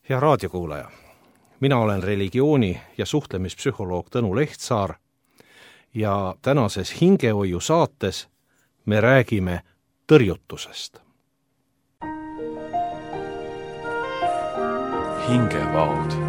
Hea raadiokuulaja, mina olen religiooni- ja suhtlemispsühholoog Tõnu Lehtsaar ja tänases Hingehoiu saates me räägime tõrjutusest. Hingevaud.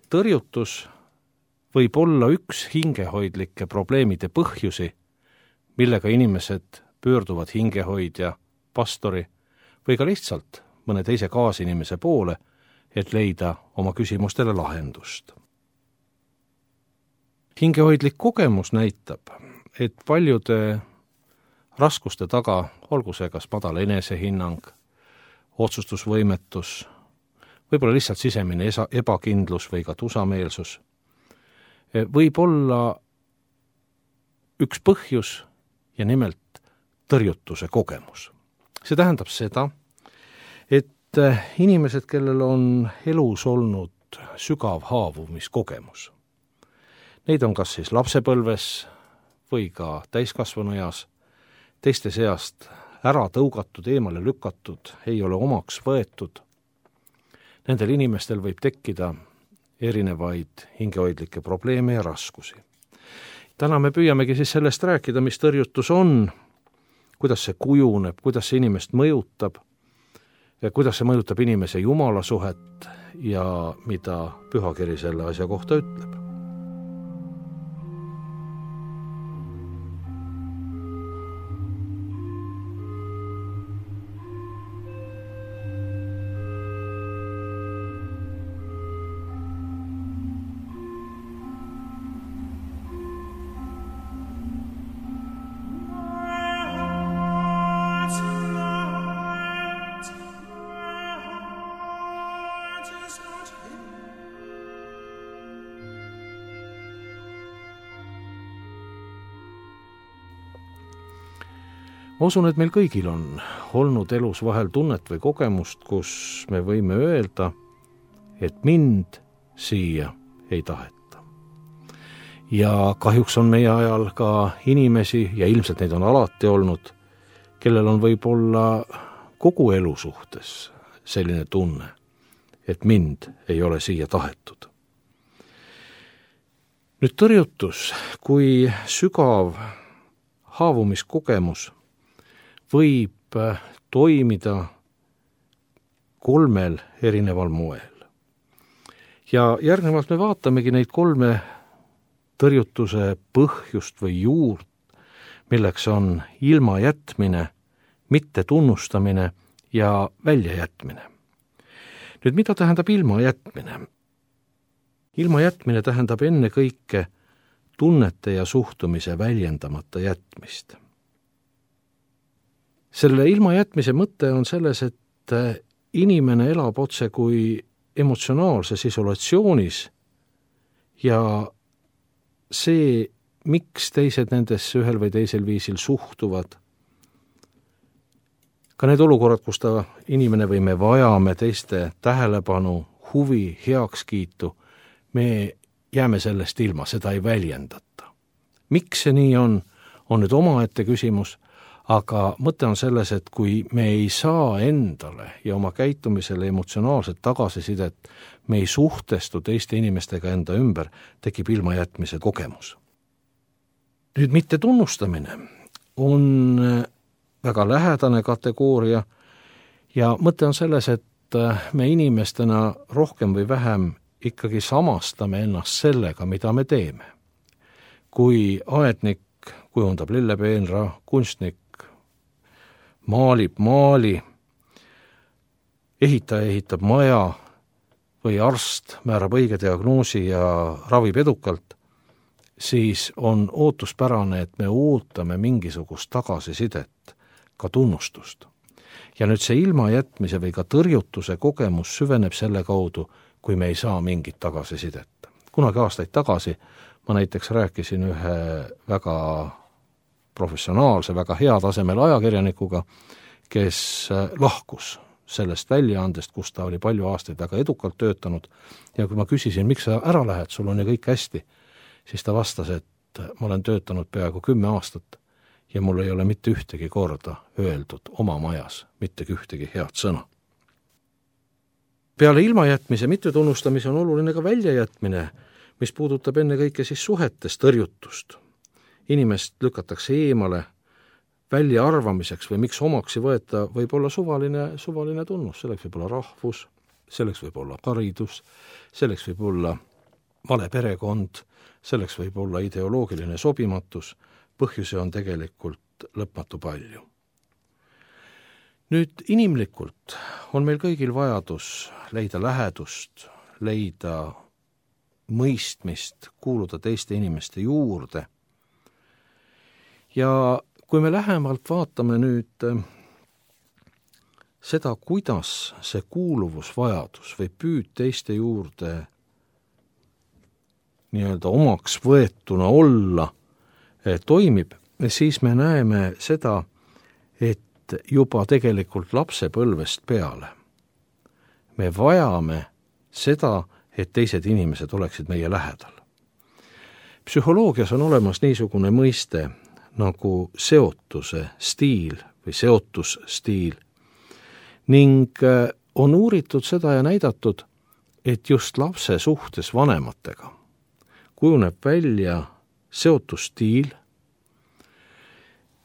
Tõrjutus võib olla üks hingehoidlike probleemide põhjusi, millega inimesed pöörduvad hingehoidja, pastori või ka lihtsalt mõne teise kaasinimese poole, et leida oma küsimustele lahendust. Hingehoidlik kogemus näitab, et paljude raskuste taga, olgu see kas madal enesehinnang, otsustusvõimetus, võib-olla lihtsalt sisemine ebakindlus või ka tusameelsus, võib olla üks põhjus ja nimelt tõrjutuse kogemus. See tähendab seda, et inimesed, kellel on elus olnud sügav haavumiskogemus, neid on kas siis lapsepõlves või ka täiskasvanueas, teiste seast ära tõugatud, eemale lükatud, ei ole omaks võetud. Nendel inimestel võib tekkida erinevaid hingehoidlikke probleeme ja raskusi. Täna me püüamegi siis sellest rääkida, mis tõrjutus on, kuidas see kujuneb, kuidas see inimest mõjutab, kuidas see mõjutab inimese Jumala suhet ja mida Pühakiri selle asja kohta ütleb. Ma usun, et meil kõigil on olnud elus vahel tunnet või kogemust, kus me võime öelda, et mind siia ei taheta. Ja kahjuks on meie ajal ka inimesi, ja ilmselt neid on alati olnud, kellel on võib-olla kogu elu suhtes selline tunne, et mind ei ole siia tahetud. Nüüd tõrjutus kui sügav haavumiskogemus võib toimida kolmel erineval moel. Ja järgnevalt me vaatamegi neid kolme tõrjutuse põhjust või juurt, milleks on ilmajätmine, mittetunnustamine ja väljajätmine. Nüüd, mida tähendab ilmajätmine? Ilmajätmine tähendab ennekõike tunnete ja suhtumise väljendamata jätmist. Selle ilmajätmise mõte on selles, et inimene elab otse kui emotsionaalses isolatsioonis ja see, miks teised nendesse ühel või teisel viisil suhtuvad, ka need olukorrad, kus inimene või me vajame teiste tähelepanu, huvi, heakskiitu, me jääme sellest ilma, seda ei väljendata. Miks see nii on nüüd omaette küsimus, aga mõte on selles, et kui me ei saa endale ja oma käitumisele emotsionaalset tagasisidet, me ei suhtestu teiste inimestega enda ümber, tekib ilmajätmise kogemus. Nüüd mittetunnustamine on väga lähedane kategooria ja mõte on selles, et me inimestena rohkem või vähem ikkagi samastame ennast sellega, mida me teeme. Kui aednik kujundab lillepeenra, kunstnik maalib maali, ehitaja ehitab maja või arst määrab õige diagnoosi ja ravib edukalt, siis on ootuspärane, et me ootame mingisugust tagasisidet, ka tunnustust. Ja nüüd see ilmajätmise või ka tõrjutuse kogemus süveneb selle kaudu, kui me ei saa mingit tagasisidet. kunagi aastaid tagasi ma näiteks rääkisin ühe väga professionaalse, väga hea tasemel ajakirjanikuga, kes lahkus sellest väljaandest, kus ta oli palju aastaid väga edukalt töötanud, ja kui ma küsisin, miks sa ära lähed, sul on ju kõik hästi, siis ta vastas, et ma olen töötanud peaaegu 10 aastat ja mul ei ole mitte ühtegi korda öeldud oma majas mitte ühtegi head sõna. Peale ilmajätmise mittetunnustamise on oluline ka väljajätmine, mis puudutab ennekõike siis suhetes tõrjutust. Inimest lükatakse eemale väljaarvamiseks või miks omaks ei võeta, võib olla suvaline tunnus, selleks võib olla rahvus, selleks võib olla haridus, selleks võib olla vale perekond, selleks võib olla ideoloogiline sobimatus, põhjuse on tegelikult lõpmatu palju. Nüüd inimlikult on meil kõigil vajadus leida lähedust, leida mõistmist, kuuluda teiste inimeste juurde. Ja kui me lähemalt vaatame nüüd seda, kuidas see kuuluvusvajadus või püüd teiste juurde nii-öelda omaks võetuna olla toimib, siis me näeme seda, et juba tegelikult lapsepõlvest peale me vajame seda, et teised inimesed oleksid meie lähedal. Psühholoogias on olemas niisugune mõiste nagu seotuse stiil või seotusstiil ning on uuritud seda ja näidatud, et just lapse suhtes vanematega kujuneb välja seotusstiil.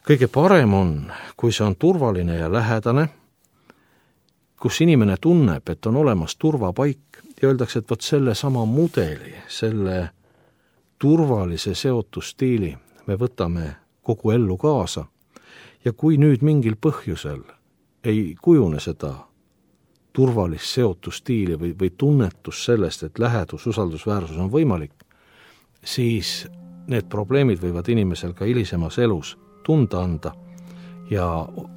Kõige parem on, kui see on turvaline ja lähedane, kus inimene tunneb, et on olemas turvapaik ja öeldakse, et võt selle sama mudeli, selle turvalise seotusstiili me võtame kogu ellu kaasa ja kui nüüd mingil põhjusel ei kujune seda turvalist seotusstiili või tunnetus sellest, et lähedus, usaldusväärsus on võimalik, siis need probleemid võivad inimesel ka hilisemas elus tunda anda ja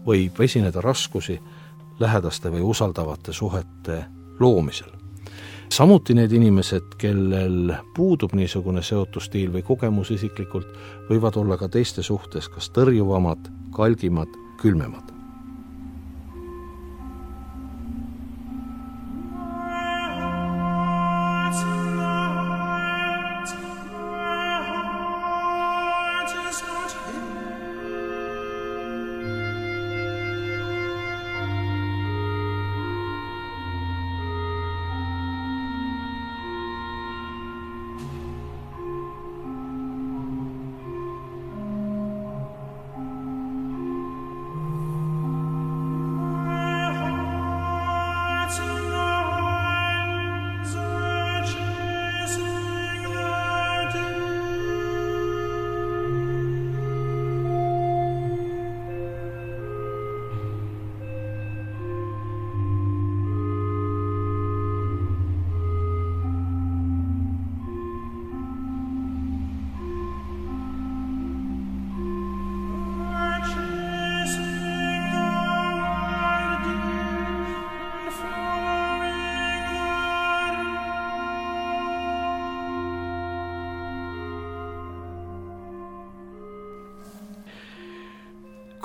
võib esineda raskusi lähedaste või usaldavate suhete loomisel. Samuti need inimesed, kellel puudub niisugune seotusstiil või kogemus isiklikult, võivad olla ka teiste suhtes kas tõrjuvamad, kalgimad, külmemad.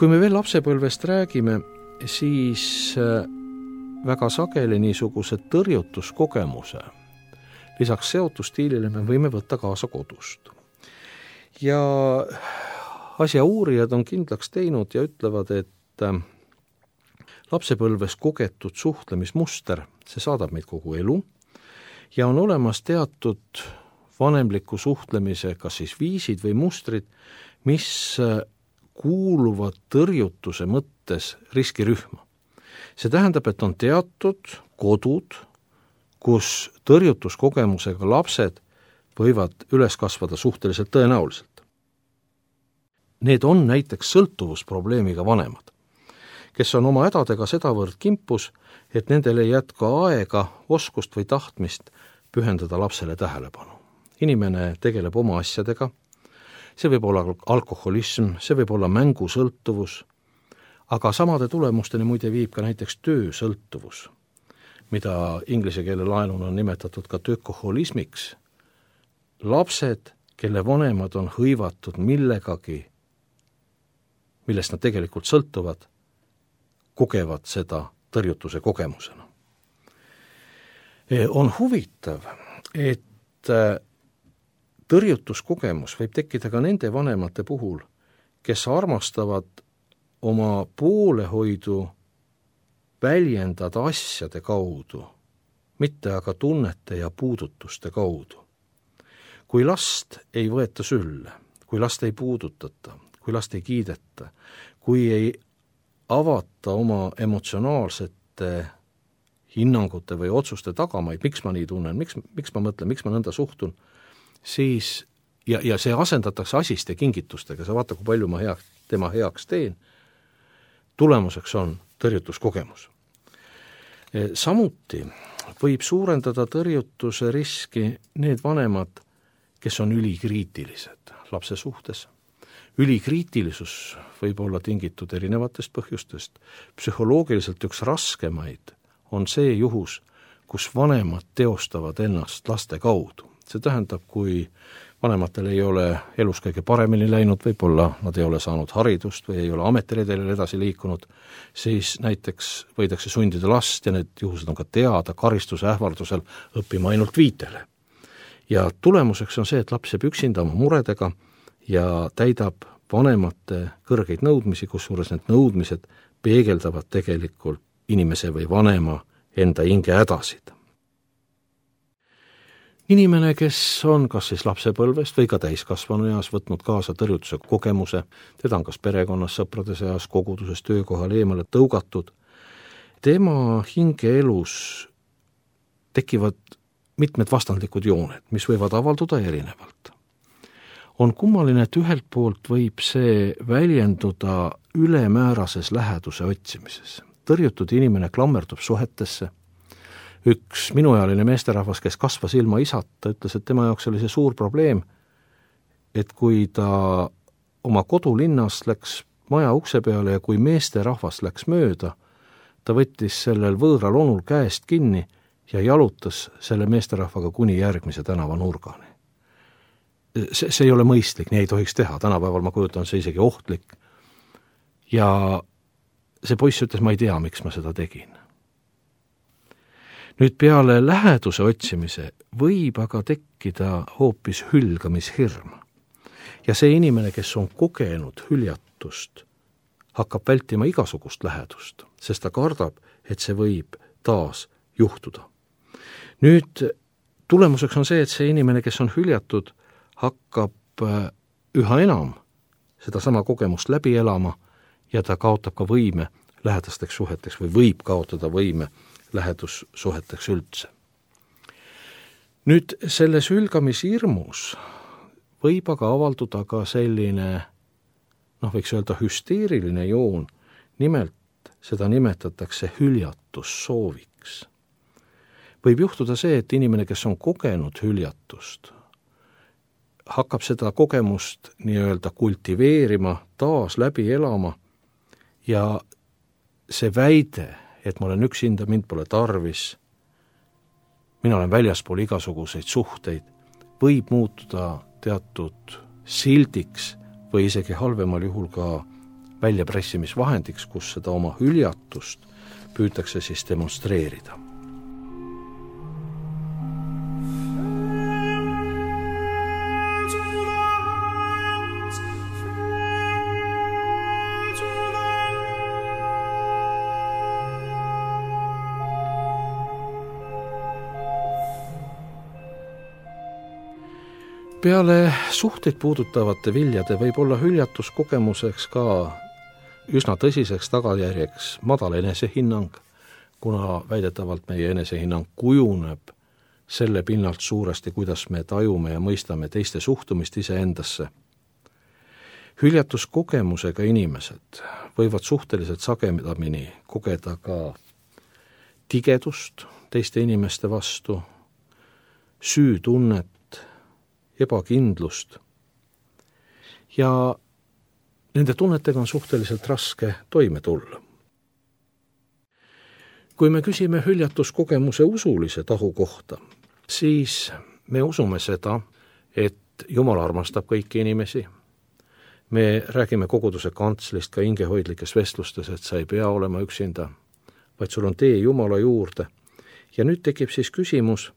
Kui me veel lapsepõlvest räägime, siis väga sageli niisuguse tõrjutuskogemuse lisaks seotusstiilile me võime võtta kaasa kodust. Ja asja uurijad on kindlaks teinud ja ütlevad, et lapsepõlves kogetud suhtlemismuster, see saadab meid kogu elu ja on olemas teatud vanemliku suhtlemise kas siis viisid või mustrid, mis kuuluvad tõrjutuse mõttes riskirühma. See tähendab, et on teatud kodud, kus tõrjutuskogemusega lapsed võivad üles kasvada suhteliselt tõenäoliselt. Need on näiteks sõltuvusprobleemiga vanemad, kes on oma hädadega sedavõrd kimpus, et nendel ei jätka aega, oskust või tahtmist pühendada lapsele tähelepanu. Inimene tegeleb oma asjadega, see võib olla alkoholism, see võib olla mängusõltuvus, aga samade tulemusteni muide viib ka näiteks töösõltuvus, mida inglise keele laenuna on nimetatud ka töökoholismiks, lapsed, kelle vanemad on hõivatud millegagi, millest nad tegelikult sõltuvad, kogevad seda tõrjutuse kogemusena. On huvitav, et tõrjutuskogemus võib tekkida ka nende vanemate puhul, kes armastavad oma poolehoidu väljendada asjade kaudu, mitte aga tunnete ja puudutuste kaudu. Kui last ei võeta sülle, kui last ei puudutata, kui last ei kiideta, kui ei avata oma emotsionaalsete hinnangute või otsuste tagamaid, miks ma nii tunnen, miks ma mõtlen, miks ma nõnda suhtun, siis, ja see asendatakse asiste kingitustega, sa vaata, kui palju ma tema heaks teen, tulemuseks on tõrjutuskogemus. Samuti võib suurendada tõrjutuse riski need vanemad, kes on ülikriitilised lapse suhtes. Ülikriitilisus võib olla tingitud erinevatest põhjustest. Psühholoogiliselt üks raskemaid on see juhus, kus vanemad teostavad ennast laste kaudu. See tähendab, kui vanematel ei ole elus kõige paremini läinud, võib-olla nad ei ole saanud haridust või ei ole ametiredelil edasi liikunud, siis näiteks võidakse sundida last, ja need juhused on ka teada, karistuse ähvardusel õppima ainult 5. Ja tulemuseks on see, et laps jääb üksinda oma muredega ja täidab vanemate kõrgeid nõudmisi, kusjuures need nõudmised peegeldavad tegelikult inimese või vanema enda hinge hädasid. Inimene, kes on kas siis lapsepõlvest või ka täiskasvanu eas võtnud kaasa tõrjutuse kogemuse, teda on kas perekonnas, sõprade seas, koguduses, töökohal eemale tõugatud, tema hingeelus tekivad mitmed vastandlikud jooned, mis võivad avalduda erinevalt. On kummaline, et ühelt poolt võib see väljenduda ülemäärases läheduse otsimises. Tõrjutud inimene klammerdub suhetesse. Üks minuealine meesterahvas, kes kasvas ilma isata, ütles, et tema jaoks oli see suur probleem, et kui ta oma kodulinnast läks maja ukse peale ja kui meesterahvas läks mööda, ta võttis sellel võõral onul käest kinni ja jalutas selle meesterahvaga kuni järgmise tänava nurgani. See ei ole mõistlik, nii ei tohiks teha, tänapäeval ma kujutan see isegi ohtlik. Ja see poiss ütles, ma ei tea, miks ma seda tegin. Nüüd peale läheduse otsimise võib aga tekkida hoopis hülgamishirm. Ja see inimene, kes on kogenud hüljatust, hakkab vältima igasugust lähedust, sest ta kardab, et see võib taas juhtuda. Nüüd tulemuseks on see, et see inimene, kes on hüljatud, hakkab üha enam seda sama kogemust läbi elama ja ta kaotab ka võime lähedasteks suheteks või võib kaotada võime lähedussuheteks üldse. Nüüd selles hülgamishirmus võib aga avalduda ka selline, võiks öelda hüsteeriline joon, nimelt seda nimetatakse hüljatussooviks. Võib juhtuda see, et inimene, kes on kogenud hüljatust, hakkab seda kogemust nii-öelda kultiveerima, taas läbi elama ja see väide, et ma olen üksinda, mind pole tarvis, mina olen väljaspool igasuguseid suhteid, võib muutuda teatud sildiks või isegi halvemal juhul ka väljapressimisvahendiks, kus seda oma hüljatust püütakse siis demonstreerida. Peale suhteid puudutavate viljade võib olla hüljatuskogemuseks ka üsna tõsiseks tagajärjeks madal enesehinnang, kuna väidetavalt meie enesehinnang kujuneb selle pinnalt suuresti, kuidas me tajume ja mõistame teiste suhtumist iseendasse. Hüljatuskogemusega inimesed võivad suhteliselt sagedamini kogeda ka tigedust teiste inimeste vastu, süütunnet, ebakindlust ja nende tunnetega on suhteliselt raske toime tulla. Kui me küsime hüljatuskogemuse usulise tahu kohta, siis me usume seda, et Jumal armastab kõiki inimesi. Me räägime koguduse kantslist ka hingehoidlikes vestlustes, et sa ei pea olema üksinda, vaid sul on tee Jumala juurde. Ja nüüd tekib siis küsimus,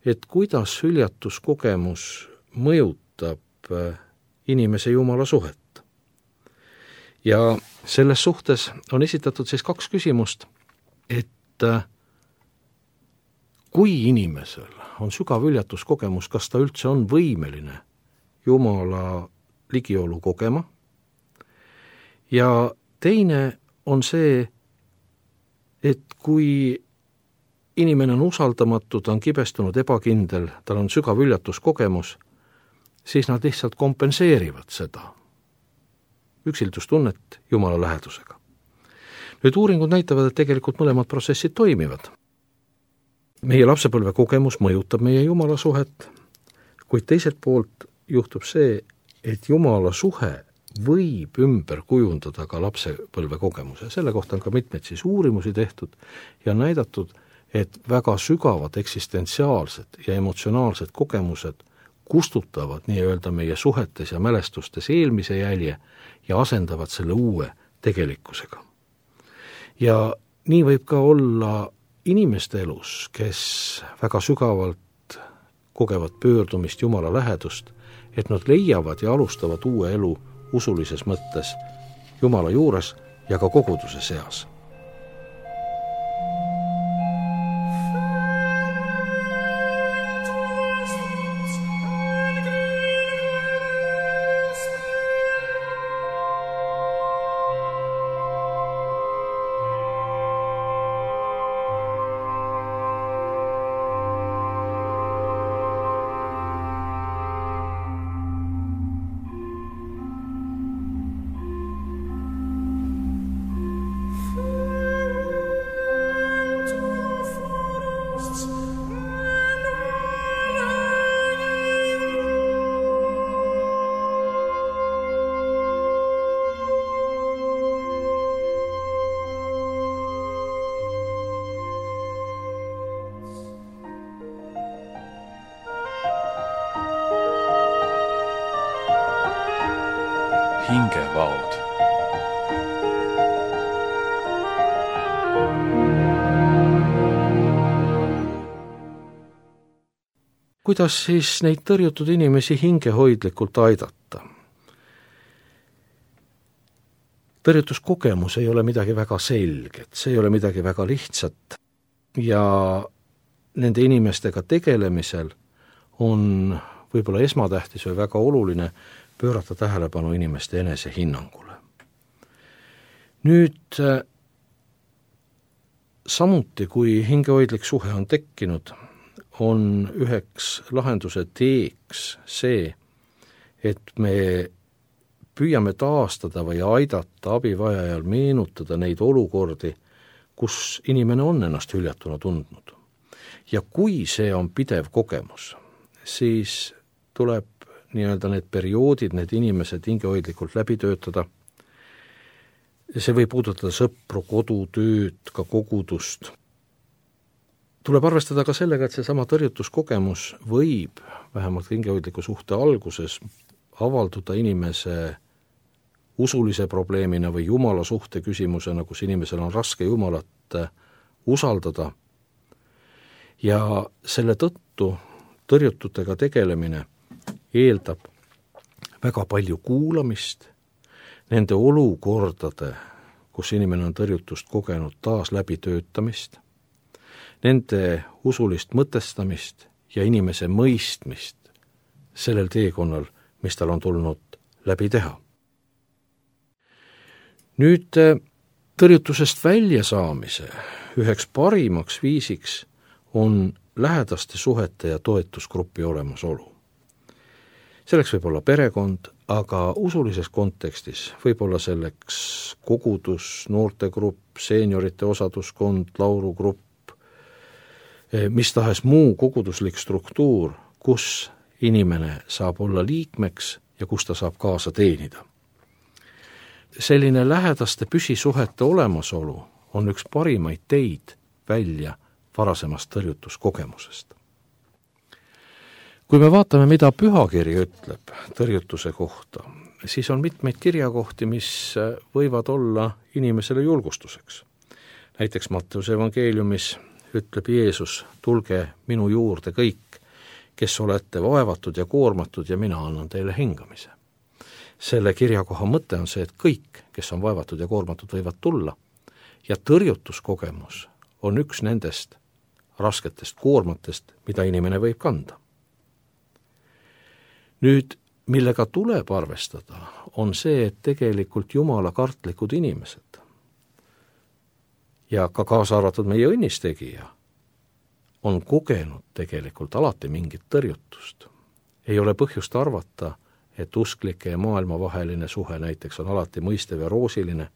et kuidas hüljatuskogemus mõjutab inimese Jumala suhet. Ja selles suhtes on esitatud siis 2 küsimust, et kui inimesel on sügav hüljatuskogemus, kas ta üldse on võimeline Jumala ligiolu kogema, ja teine on see, et kui inimene on usaldamatu, ta on kibestunud, ebakindel, tal on sügav hüljatuskogemus, siis nad lihtsalt kompenseerivad seda üksildustunnet Jumala lähedusega. Nüüd uuringud näitavad, et tegelikult mõlemad protsessid toimivad. Meie lapsepõlve kogemus mõjutab meie Jumala suhet, kuid teiselt poolt juhtub see, et Jumala suhe võib ümber kujundada ka lapsepõlve kogemuse. Selle kohta on ka mitmeid siis uurimusi tehtud ja näidatud, et väga sügavad eksistentsiaalsed ja emotsionaalsed kogemused kustutavad nii-öelda meie suhetes ja mälestustes eelmise jälje ja asendavad selle uue tegelikkusega. Ja nii võib ka olla inimeste elus, kes väga sügavalt kogevad pöördumist Jumala lähedust, et nad leiavad ja alustavad uue elu usulises mõttes Jumala juures ja ka koguduse seas. Hingevaod. Kuidas siis neid tõrjutud inimesi hingehoidlikult aidata? Tõrjutuskogemus ei ole midagi väga selget, see ei ole midagi väga lihtsat ja nende inimestega tegelemisel on võib-olla esmatähtis või väga oluline pöörata tähelepanu inimeste enesehinnangule. Nüüd samuti, kui hingehoidlik suhe on tekkinud, on üheks lahenduse teeks see, et me püüame taastada või aidata abivajajal meenutada neid olukordi, kus inimene on ennast hüljatuna tundnud. Ja kui see on pidev kogemus, siis tuleb nii-öelda need perioodid, need inimesed hingehoidlikult läbi töötada. See võib puudutada sõpru, kodutööd, ka kogudust. Tuleb arvestada ka sellega, et seesama tõrjutuskogemus võib vähemalt hingehoidliku suhte alguses avalduda inimese usulise probleemina või Jumala suhte küsimusena, kus inimesel on raske Jumalat usaldada. Ja selle tõttu tõrjututega tegelemine eeldab väga palju kuulamist, nende olukordade, kus inimene on tõrjutust kogenud, taas läbitöötamist, nende usulist mõtestamist ja inimese mõistmist sellel teekonnal, mis tal on tulnud läbi teha. Nüüd tõrjutusest väljasaamise üheks parimaks viisiks on lähedaste suhete ja toetusgrupi olemasolu. Selleks võib olla perekond, aga usulises kontekstis võib olla selleks kogudus, noortegrupp, seeniorite osaduskond, laulugrupp, mis tahes muu koguduslik struktuur, kus inimene saab olla liikmeks ja kus ta saab kaasa teenida. Selline lähedaste püsisuhete olemasolu on üks parimaid teid välja varasemast tõrjutuskogemusest. Kui me vaatame, mida pühakiri ütleb tõrjutuse kohta, siis on mitmeid kirjakohti, mis võivad olla inimesele julgustuseks. Näiteks Matteuse evangeeliumis ütleb Jeesus, tulge minu juurde kõik, kes olete vaevatud ja koormatud ja mina annan teile hingamise. Selle kirjakoha mõte on see, et kõik, kes on vaevatud ja koormatud, võivad tulla ja tõrjutuskogemus on üks nendest rasketest koormatest, mida inimene võib kanda. Nüüd, millega tuleb arvestada, on see, et tegelikult Jumala kartlikud inimesed ja ka kaasa arvatud meie õnnistegija on kogenud tegelikult alati mingit tõrjutust. Ei ole põhjust arvata, et usklike ja maailma vaheline suhe näiteks on alati mõistev ja roosiline.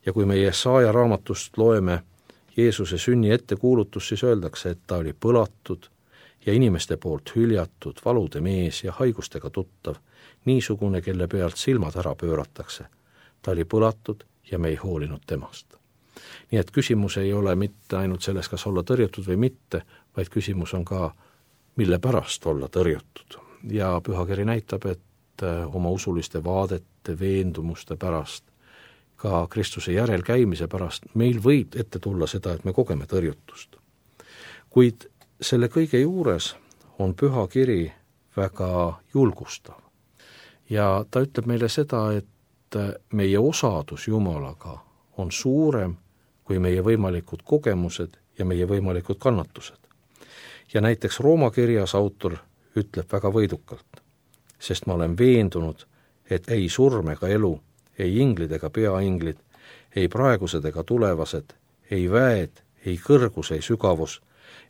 Ja kui meie Jesaja raamatust loeme Jeesuse sünni ettekuulutus, siis öeldakse, et ta oli põlatud ja inimeste poolt hüljatud, valude mees ja haigustega tuttav, niisugune, kelle pealt silmad ära pööratakse. Ta oli põlatud ja me ei hoolinud temast. Nii et küsimus ei ole mitte ainult selles, kas olla tõrjutud või mitte, vaid küsimus on ka, mille pärast olla tõrjutud. Ja pühakiri näitab, et oma usuliste vaadete, veendumuste pärast, ka Kristuse järelkäimise pärast, meil võib ette tulla seda, et me kogeme tõrjutust. Kuid selle kõige juures on pühakiri väga julgustav. Ja ta ütleb meile seda, et meie osadus Jumalaga on suurem kui meie võimalikud kogemused ja meie võimalikud kannatused. Ja näiteks Rooma kirjas autor ütleb väga võidukalt, sest ma olen veendunud, et ei surm ega elu, ei inglid ega peainglid, ei praegused ega tulevased, ei väed, ei kõrgus, ei sügavus,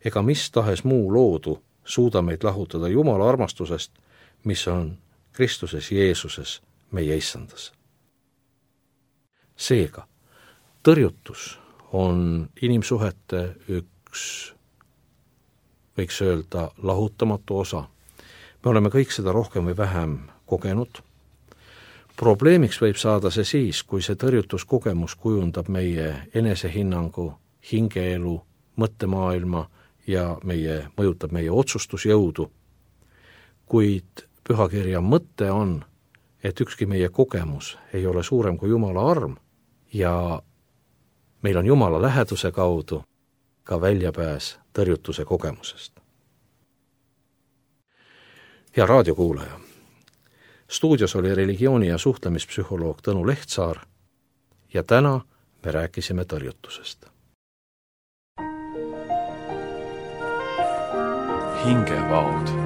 ega mis tahes muu loodu suuda meid lahutada Jumala armastusest, mis on Kristuses Jeesuses meie issandas. Seega, tõrjutus on inimsuhete üks, võiks öelda, lahutamatu osa. Me oleme kõik seda rohkem või vähem kogenud. Probleemiks võib saada see siis, kui see tõrjutuskogemus kujundab meie enesehinnangu, hingeelu, mõttemaailma ja mõjutab meie otsustusjõudu. Kuid pühakirja mõte on, et ükski meie kogemus ei ole suurem kui Jumala arm ja meil on Jumala läheduse kaudu ka väljapääs tõrjutuse kogemusest. Hea raadiokuulaja, stuudios oli religiooni- ja suhtlemispsühholoog Tõnu Lehtsaar ja täna me rääkisime tõrjutusest. Hingevaod.